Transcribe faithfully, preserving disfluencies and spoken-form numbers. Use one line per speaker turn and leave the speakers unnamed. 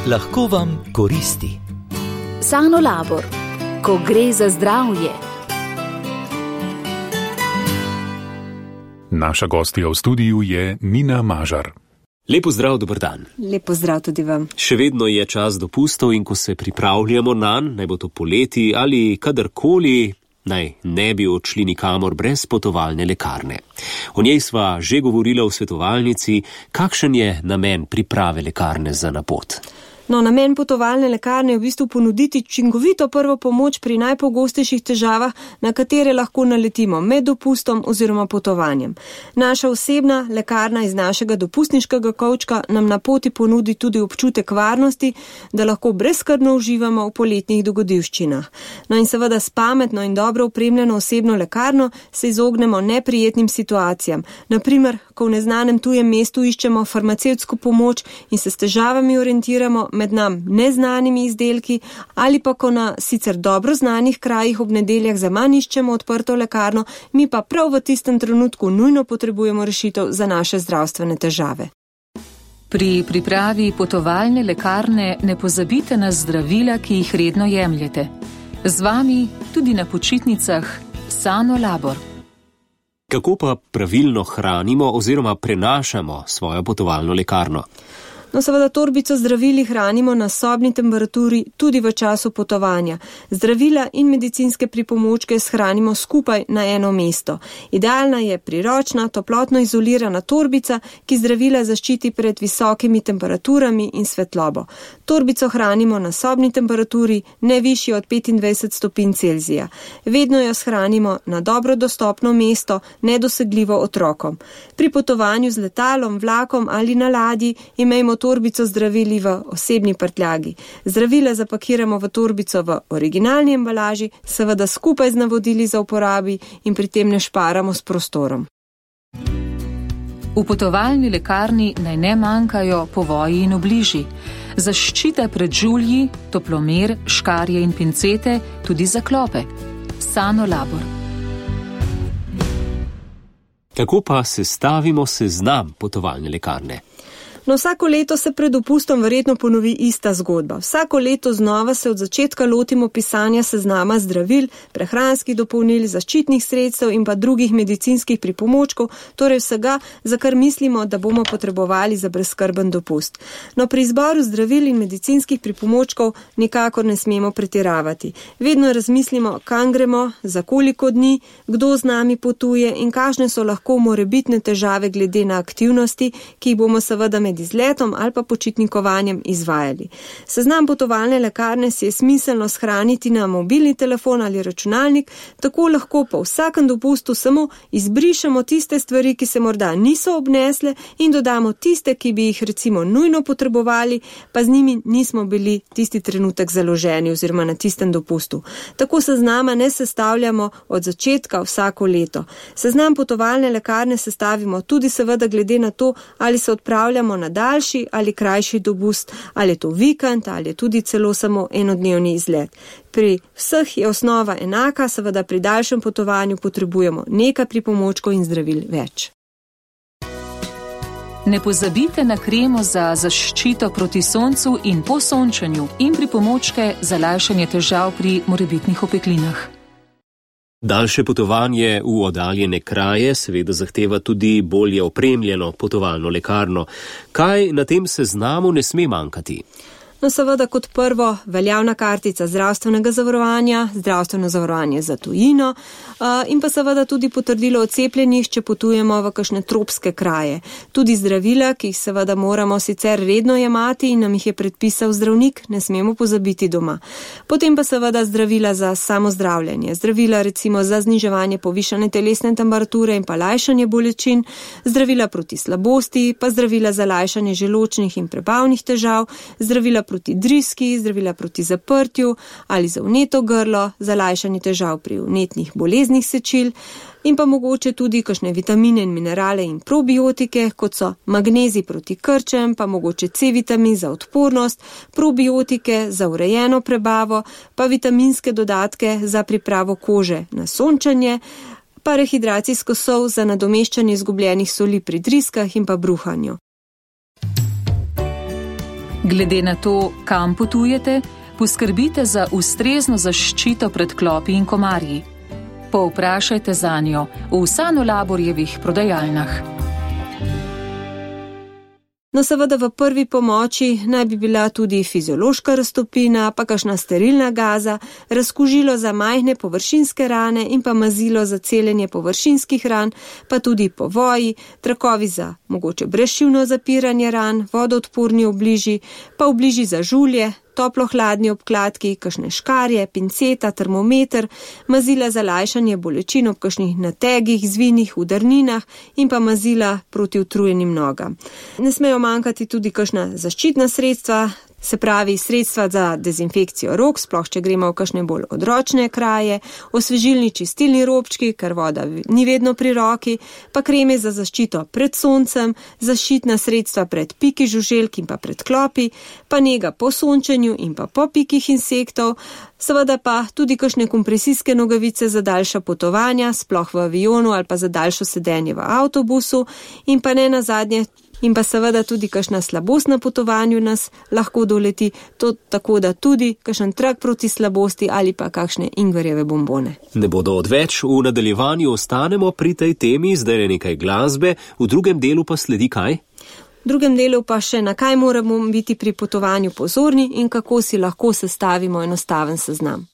lahko vam koristi.
Sanolabor, ko gre za zdravje.
Naša gostja v studiu je Nina Mažar.
Lepo zdrav, dober dan.
Lepo zdrav tudi vam.
Še vedno je čas dopustov in ko se pripravljamo nanj, naj bo to poleti ali kadarkoli, naj ne bi odšli nikamor brez potovalne lekarne. O njej sva že govorila v svetovalnici, kakšen je namen priprave lekarne za na pot.
No, namen potovalne lekarne je v bistvu ponuditi učinkovito prvo pomoč pri najpogostejših težavah, na katere lahko naletimo med dopustom oziroma potovanjem. Naša osebna lekarna iz našega dopustniškega kovčka nam na poti ponudi tudi občutek varnosti, da lahko brezskrbno uživamo v poletnih dogodivščinah. No in seveda s pametno in dobro opremljeno osebno lekarno se izognemo neprijetnim situacijam. Naprimer, ko v neznanem tujem mestu iščemo farmacevtsko pomoč in se s težavami orientiramo med nam neznanimi izdelki, ali pa ko na sicer dobro znanih krajih ob nedeljah zaman iščemo odprto lekarno, mi pa prav v tistem trenutku nujno potrebujemo rešitev za naše zdravstvene težave.
Pri pripravi potovalne lekarne ne pozabite na zdravila, ki jih redno jemljete. Z vami tudi na počitnicah Sanolabor.
Kako pa pravilno hranimo oziroma prenašamo svojo potovalno lekarno?
No, seveda torbico zdravili hranimo na sobni temperaturi tudi v času potovanja. Zdravila in medicinske pripomočke shranimo skupaj na eno mesto. Idealna je priročna, toplotno izolirana torbica, ki zdravila zaščiti pred visokimi temperaturami in svetlobo. Torbico hranimo na sobni temperaturi, ne višji od petindvajset stopinj Celzija. Vedno jo shranimo na dobro dostopno mesto, nedosegljivo otrokom. Pri potovanju z letalom, vlakom ali na ladji imejmo torbico zdravili v osebni prtljagi. Zdravila zapakiramo v torbico v originalni embalaži, seveda skupaj z navodili za uporabi in pri tem ne šparamo s prostorom.
V potovalni lekarni naj ne manjkajo povoji in obliži. Zaščita pred žulji, toplomer, škarje in pincete, tudi za klope. Sanolabor.
Kako pa sestavimo seznam potovalne lekarne?
No, vsako leto se pred dopustom verjetno ponovi ista zgodba. Vsako leto znova se od začetka lotimo pisanja seznama zdravil, prehranskih dopolnil, zaščitnih sredstev in pa drugih medicinskih pripomočkov, torej vsega, za kar mislimo, da bomo potrebovali za brezskrben dopust. No, pri izboru zdravil in medicinskih pripomočkov nikakor ne smemo pretiravati. Vedno razmislimo, kam gremo, za koliko dni, kdo z nami potuje in kakšne so lahko morebitne težave glede na aktivnosti, ki jih bomo seveda med izletom ali pa počitnikovanjem izvajali. Seznam potovalne lekarne si je smiselno shraniti na mobilni telefon ali računalnik, tako lahko po vsakem dopustu samo izbrišemo tiste stvari, ki se morda niso obnesle in dodamo tiste, ki bi jih recimo nujno potrebovali, pa z njimi nismo bili tisti trenutek založeni oziroma na tistem dopustu. Tako seznama ne sestavljamo od začetka vsako leto. Seznam potovalne lekarne sestavimo tudi seveda glede na to, ali se odpravljamo na daljši ali krajši dopust, ali je to vikend, ali je tudi celo samo enodnevni izlet. Pri vseh je osnova enaka, seveda pri daljšem potovanju potrebujemo nekaj pripomočkov in zdravil več.
Ne pozabite na kremo za zaščito proti soncu in po sončenju in pripomočke za lajšanje težav pri morebitnih opeklinah.
Daljše potovanje v oddaljene kraje seveda zahteva tudi bolje opremljeno potovalno lekarno. Kaj na tem seznamu ne sme manjkati?
No, seveda kot prvo veljavna kartica zdravstvenega zavarovanja, zdravstveno zavarovanje za tujino in pa seveda tudi potrdilo o cepljenjih, če potujemo v kakšne tropske kraje. Tudi zdravila, ki jih seveda moramo sicer redno jemati in nam jih je predpisal zdravnik, ne smemo pozabiti doma. Potem pa seveda zdravila za samozdravljanje, zdravila recimo za zniževanje povišane telesne temperature in pa lajšanje bolečin, zdravila proti slabosti, pa zdravila za lajšanje želodčnih in prebavnih težav, zdravila proti driski, zdravila proti zaprtju ali za vneto grlo, za lajšanje težav pri vnetnih boleznih sečil in pa mogoče tudi kakšne vitamine in minerale in probiotike, kot so magnezij proti krčem, pa mogoče C-vitamin za odpornost, probiotike za urejeno prebavo, pa vitaminske dodatke za pripravo kože na sončanje, pa rehidracijsko sol za nadomeščanje izgubljenih soli pri driskah in pa bruhanju.
Glede na to, kam potujete, poskrbite za ustrezno zaščito pred klopi in komarji. Povprašajte zanjo v Sanolaborjevih prodajalnah.
No, seveda v prvi pomoči naj bi bila tudi fiziološka raztopina, pa kakšna sterilna gaza, razkužilo za majhne površinske rane in pa mazilo za celjenje površinskih ran, pa tudi povoji, trakovi za mogoče brezšivno zapiranje ran, vodoodporni obliži, pa obliži za žulje, toplo-hladni obkladki, kakšne škarje, pinceta, termometer, mazila za lajšanje bolečin ob kakšnih nategih, zvinih, udarninah in pa mazila proti utrujenim nogam. Ne smejo manjkati tudi kakšna zaščitna sredstva, se pravi sredstva za dezinfekcijo rok, sploh če gremo v kakšne bolj odročne kraje, osvežilni čistilni robčki, ker voda ni vedno pri roki, pa kreme za zaščito pred soncem, zaščitna sredstva pred piki žuželk in pa pred klopi, pa nega po sončenju in pa po pikih insektov, seveda pa tudi kakšne kompresijske nogavice za daljša potovanja, sploh v avionu ali pa za daljšo sedenje v avtobusu in pa ne nazadnje in pa seveda tudi kakšna slabost na potovanju nas lahko doleti, to tako da tudi kakšen trak proti slabosti ali pa kakšne ingverjeve bombone.
Ne bodo odveč, v nadaljevanju ostanemo pri tej temi, zdaj je nekaj glasbe, v drugem delu pa sledi kaj?
V drugem delu pa še na kaj moramo biti pri potovanju pozorni in kako si lahko sestavimo enostaven seznam.